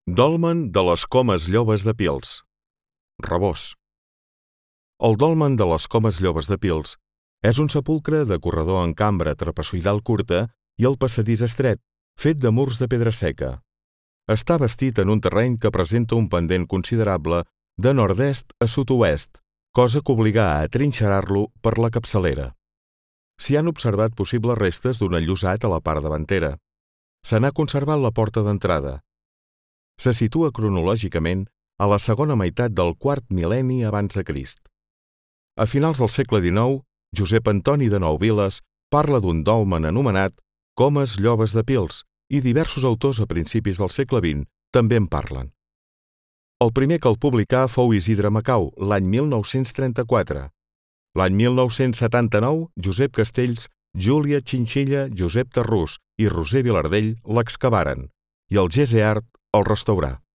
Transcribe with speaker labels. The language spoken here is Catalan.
Speaker 1: Dolmen de les Comes Llobes de Pils. Rabós. El dolmen de les Comes Llobes de Pils és un sepulcre de corredor en cambra trapezoidal curta i el passadís estret, fet de murs de pedra seca. Està bastit en un terreny que presenta un pendent considerable de nord-est a sud-oest, cosa que obligà a atrinxerar-lo per la capçalera. S'hi han observat possibles restes d'un enllosat a la part davantera. Se n'ha conservat la porta d'entrada. Se situa cronològicament a la segona meitat del quart mil·lenni abans de Crist. A finals del segle XIX, Josep Antoni de Nouviles parla d'un dolmen anomenat Comes Llobes de Pils i diversos autors a principis del segle XX també en parlen. El primer que el publicà fou Isidre Macau, l'any 1934. L'any 1979, Josep Castells, Júlia Chinchilla, Josep Tarrús i Roser Vilardell l'excavaren i el GESEART el restaurà.